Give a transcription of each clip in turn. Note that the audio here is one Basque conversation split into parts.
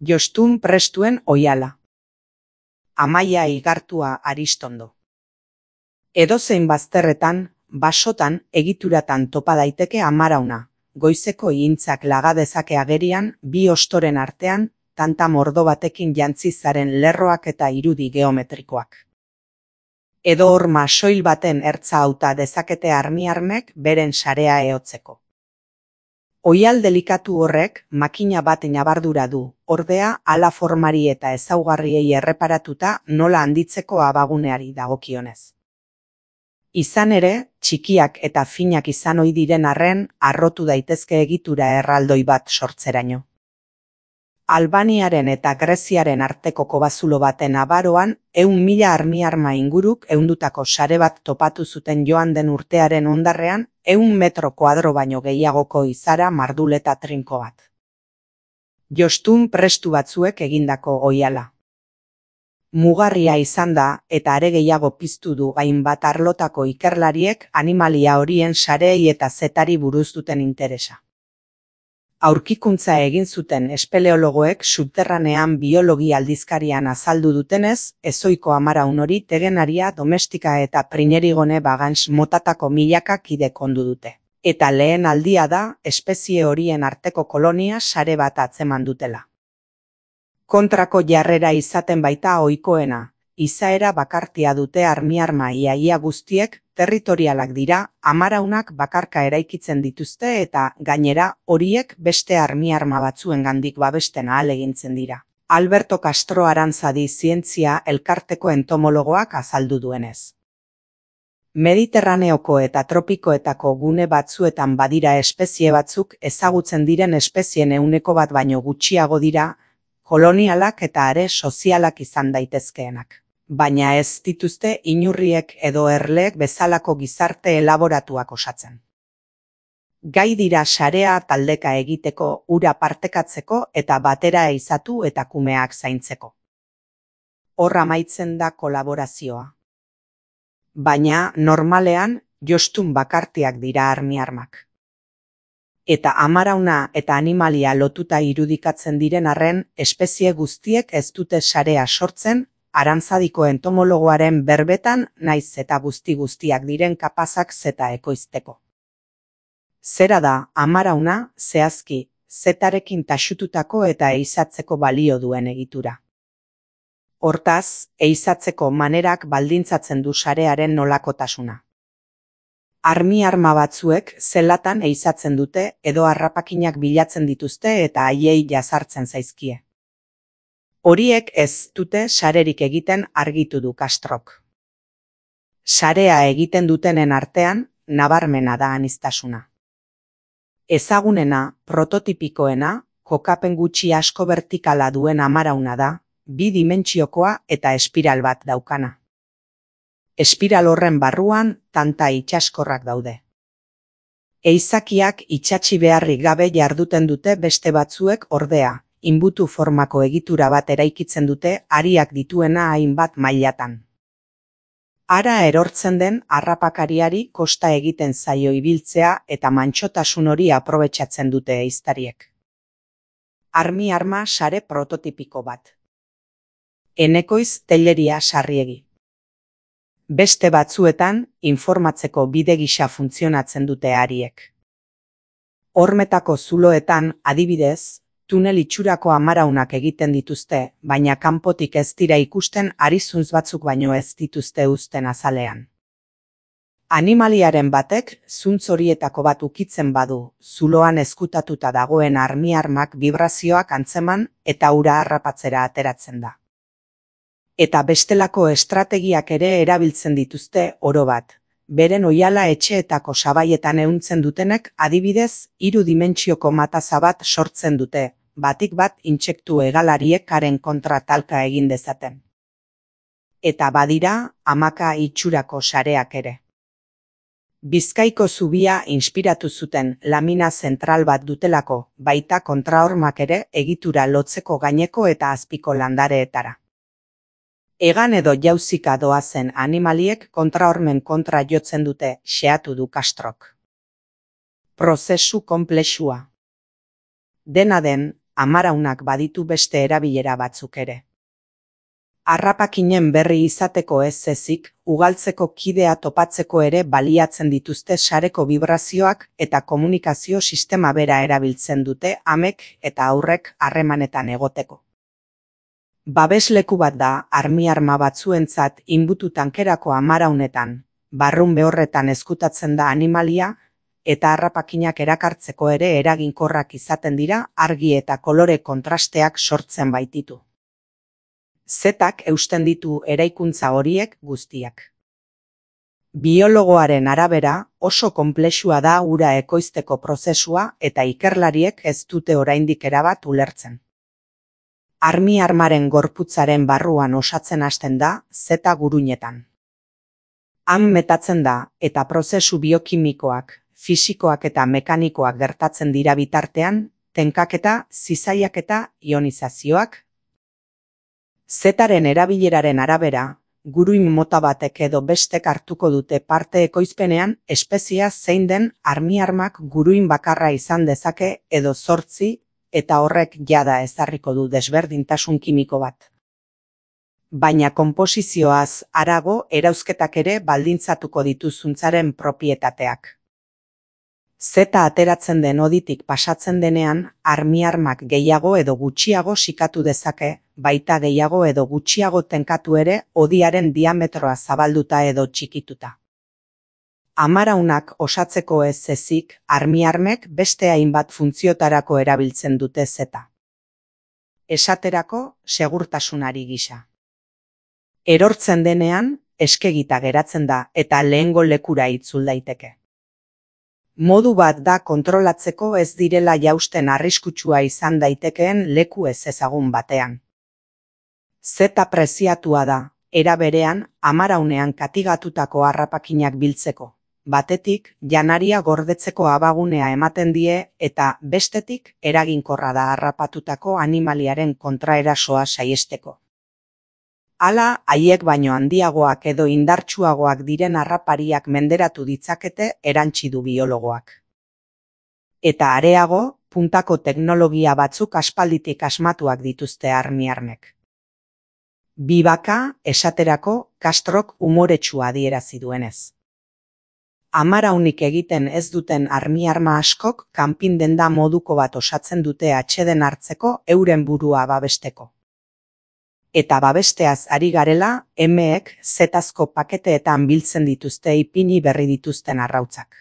Jostun prestuen oihala. Amaia igartua Aristondo. Edozein bazterretan, basotan, egituratan topa daiteke amarauna. Goizeko ihintzak laga dezake agerian, bi ostoren artean, tanta mordo batekin jantzi zaren lerroak eta irudi geometrikoak. Edo horma soil baten ertza hauta dezakete armiarmek beren sarea ehotzeko. Oihal delikatu horrek makina bat nabardura du, ordea hala formari eta ezaugarriei erreparatuta nola handitzeko abaguneari dagokionez. Izan ere, txikiak eta finak izan ohi diren arren, harrotu daitezke egitura erraldoi bat sortzeraino. Albaniaren eta Greziaren arteko kobazulo baten abaroan, 100.000 armiarma inguruk ehundutako sare bat topatu zuten joan den urtearen hondarrean, 100 metro kuadro baino gehiagoko izara mardul eta trinko bat. Jostun prestu batzuek egindako oihala. Mugarria izan da, eta are gehiago piztu du hainbat arlotako ikerlariek animalia horien sareei eta zetari buruz duten interesa. Aurkikuntza egin zuten espeleologoek subterranean biologia aldizkarian azaldu dutenez, ezoiko amaraun hori tegenaria, domestika eta prinerigone bagans motatako milaka kide kondu dute. Eta lehen aldia da, espezie horien arteko kolonia sare bat atzeman dutela. Kontrako jarrera izaten baita ohikoena, izaera bakartia dute armiarma ia guztiek, territorialak dira, amaraunak bakarka eraikitzen dituzte eta, gainera, horiek beste armiarma batzuengandik babesten ahalegintzen dira. Alberto Castro Aranzadi zientzia elkarteko entomologoak azaldu duenez. Mediterraneoko eta tropikoetako gune batzuetan badira espezie batzuk ezagutzen diren espezien 1% baino gutxiago dira, kolonialak eta are sozialak izan daitezkeenak. Baina ez dituzte inurriek edo erleek bezalako gizarte elaboratuak osatzen. Gai dira sarea taldeka egiteko, ura partekatzeko eta batera ehizatu eta kumeak zaintzeko. Hor amaitzen da kolaborazioa. Baina, normalean, jostun bakartiak dira armiarmak. Eta amarauna eta animalia lotuta irudikatzen diren arren, espezie guztiek ez dute sarea sortzen, Aranzadiko entomologoaren berbetan naiz eta guztiak diren kapazak zeta ekoizteko. Zera da, amarauna, zehazki, zetarekin taxututako eta ehizatzeko balio duen egitura. Hortaz, ehizatzeko manerak baldintzatzen du sarearen nolakotasuna. Armiarma batzuek zelatan ehizatzen dute edo harrapakinak bilatzen dituzte eta haiei jazartzen zaizkie. Horiek ez dute sarerik egiten argitu du Castrok. Sarea egiten dutenen artean, nabarmena da aniztasuna. Ezagunena, prototipikoena, kokapen gutxi asko vertikala duen amarauna da, 2 dimentsiokoa eta espiral bat daukana. Espiral horren barruan tanta itsaskorrak daude. Ehizakiak itsatsi beharrik gabe jarduten dute beste batzuek ordea, inbutu formako egitura bat eraikitzen dute hariak dituena hainbat mailatan. Hara erortzen den harrapakariari kosta egiten zaio ibiltzea eta mantsotasun hori aprobetxatzen dute ehiztariek. Armiarma sare prototipiko bat. Enekoiz Telleria Sarriegi. Beste batzuetan, informatzeko bide gisa funtzionatzen dute hariek. Hormetako zuloetan, adibidez, tunel itxurako amaraunak egiten dituzte, baina kanpotik ez dira ikusten arizuntz batzuk baino ez dituzte uzten azalean. Animaliaren batek, zuntz horietako bat ukitzen badu, zuloan ezkutatuta dagoen armiarmak vibrazioak antzeman eta ura harrapatzera ateratzen da. Eta bestelako estrategiak ere erabiltzen dituzte oro bat. Beren oihala etxeetako sabaietan ehuntzen dutenek adibidez 3 dimentsioko mataza bat sortzen dute, batik bat intsektu hegalariek haren kontra talka egin dezaten. Eta badira, hamaka itxurako sareak ere. Bizkaiko zubia inspiratu zuten lamina zentral bat dutelako, baita kontrahormak ere egitura lotzeko gaineko eta azpiko landareetara. Egan edo jauzika doazen animaliek kontrahormen kontra jotzen dute, xeatu du Castrok. Prozesu konplexua. Dena den, amaraunak baditu beste erabilera batzuk ere. Harrapakinen berri izateko ez ezik, ugaltzeko kidea topatzeko ere baliatzen dituzte sareko vibrazioak eta komunikazio sistema bera erabiltzen dute amek eta aurrek harremanetan egoteko. Babesleku bat da armiarma batzuentzat inbutu tankerako amaraunetan, barrun behorretan ezkutatzen da animalia, eta harrapakinak erakartzeko ere eraginkorrak izaten dira argi eta kolore kontrasteak sortzen baititu. Zetak eusten ditu eraikuntza horiek guztiak. Biologoaren arabera oso konplexua da ura ekoizteko prozesua eta ikerlariek ez dute oraindik erabat ulertzen. Armiarmaren gorputzaren barruan osatzen hasten da zeta guruinetan. Han metatzen da eta prozesu biokimikoak, fisikoak eta mekanikoak gertatzen dira bitartean, tenkaketa, zizaiaketa, ionizazioak. Zetaren erabileraren arabera, guruin mota batek edo bestek hartuko dute parte ekoizpenean espeziea zein den armiarmak guruin bakarra izan dezake edo 8 eta horrek jada ezarriko du desberdintasun kimiko bat. Baina konposizioaz harago erauzketak ere baldintzatuko ditu zuntzaren propietateak. Zeta ateratzen den hoditik pasatzen denean, armiarmak gehiago edo gutxiago sikatu dezake, baita gehiago edo gutxiago tenkatu ere hodiaren diametroa zabalduta edo txikituta. Amaraunak osatzeko ez ezik, armiarmek beste hainbat funtziotarako erabiltzen dute zeta. Esaterako, segurtasunari gisa. Erortzen denean, eskegita geratzen da eta lehengo lekura itzul daiteke. Modu bat da kontrolatzeko ez direla jausten arriskutsua izan daitekeen leku ez ezagun batean. Zeta preziatua da, era berean, amaraunean katigatutako harrapakinak biltzeko. Batetik, janaria gordetzeko abagunea ematen die eta bestetik eraginkorra da harrapatutako animaliaren kontraerasoa saihesteko. Hala, haiek baino handiagoak edo indartsuagoak diren harrapariak menderatu ditzakete erantsi du biologoak. Eta areago, puntako teknologia batzuk aspalditik asmatuak dituzte armiarmek. Bibaka, esaterako, Castrok umoretsua adierazi duenez. Amaraunik egiten ez duten armiarma askok kanpin-denda moduko bat osatzen dute atseden hartzeko euren burua babesteko. Eta babesteaz ari garela, emeek zetazko paketeetan biltzen dituzte ipini berri dituzten arrautzak.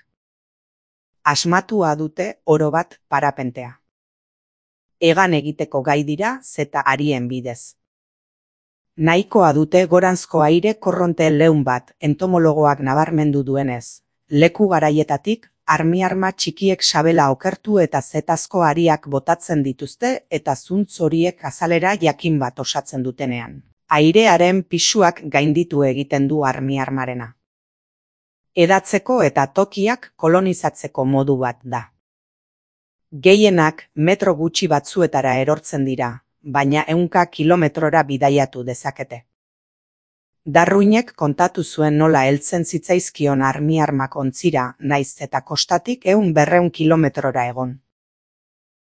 Asmatua dute oro bat parapentea. Egan egiteko gai dira zeta arien bidez. Nahikoa dute goranzko aire korronte leun bat entomologoak nabarmendu duenez. Leku garaietatik, armiarma txikiek sabela okertu eta zetazko ariak botatzen dituzte eta zuntz horiek azalera jakin bat osatzen dutenean. Airearen pisuak gainditu egiten du armiarmarena. Edatzeko eta tokiak kolonizatzeko modu bat da. Gehienak metro gutxi batzuetara erortzen dira, baina 100 kilometrora bidaiatu dezakete. Darwinek kontatu zuen nola heltzen zitzaizkion armiarmak ontzira, naiz eta kostatik 100-200 kilometrora egon.